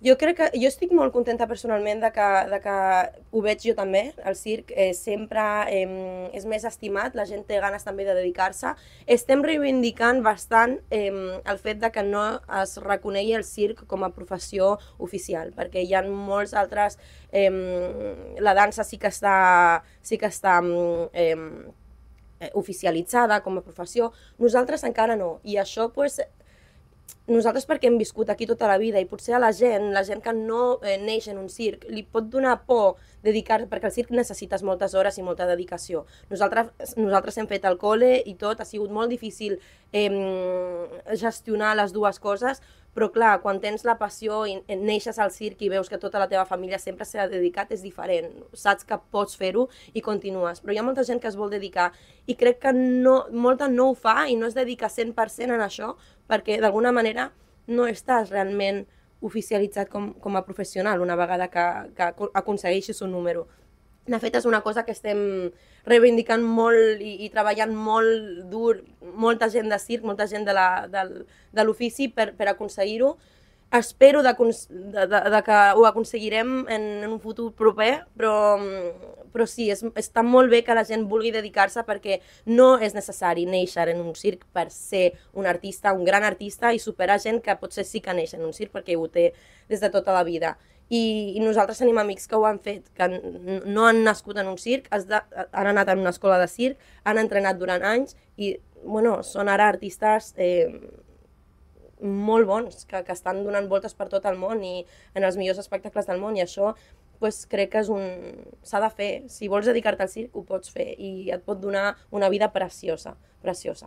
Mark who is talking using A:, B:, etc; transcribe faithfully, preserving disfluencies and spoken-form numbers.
A: Jo crec que, jo estic molt contenta personalment de que, de que ho veig jo també, el circ eh, sempre eh, és més estimat, la gent té ganes també de dedicar-se. Estem reivindicant bastant eh, el fet de que no es reconegui el circ com a professió oficial, perquè hi ha molts altres, eh, la dansa sí que està, sí que està eh, oficialitzada com a professió, nosaltres encara no, i això pues, nosaltres perquè hem viscut aquí tota la vida i potser a la gent, la gent que no eh, neix en un circ, li pot donar por dedicar-se, perquè el circ necessites moltes hores i molta dedicació. Nosaltres, nosaltres hem fet el col·le i tot, ha sigut molt difícil eh, gestionar les dues coses, però clar, quan tens la passió i neixes al circ i veus que tota la teva família sempre s'ha dedicat, és diferent. Saps que pots fer-ho i continues. Però hi ha molta gent que es vol dedicar i crec que no, molta no ho fa i no es dedica cent per cent en això perquè d'alguna manera no estàs realment oficialitzat com, com a professional una vegada que, que aconsegueixis un número. De fet, és una cosa que estem reivindicant molt i, i treballant molt dur, molta gent de circ, molta gent de l'ofici per, per aconseguir-ho. Espero de, de, de, de que ho aconseguirem en, en un futur proper, però, però sí, és, està molt bé que la gent vulgui dedicar-se perquè no és necessari néixer en un circ per ser un artista, un gran artista i superar gent que potser sí que neix en un circ perquè ho té des de tota la vida. I, i nosaltres tenim amics que ho han fet, que no han nascut en un circ, de, han anat en una escola de circ, han entrenat durant anys i bueno, són ara artistes eh, molt bons, que, que estan donant voltes per tot el món i en els millors espectacles del món i això pues, crec que és un... s'ha de fer. Si vols dedicar-te al circ ho pots fer i et pot donar una vida preciosa, preciosa.